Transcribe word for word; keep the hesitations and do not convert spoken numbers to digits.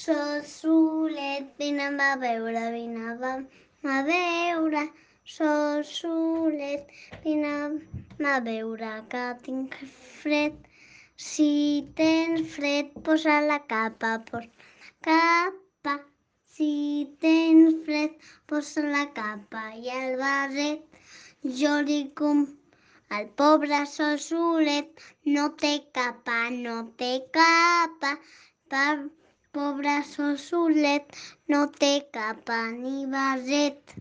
Sol solet, vine'm a veure, vine'm a veure. Sol solet, vine'm a veure que tinc fred. Si tens fred, posa la capa, posa la capa. Si tens fred, posa la capa i el barret. Jo li com... El pobre sol solet no té capa, no té capa. Per pobre sol solet no té capa ni barret.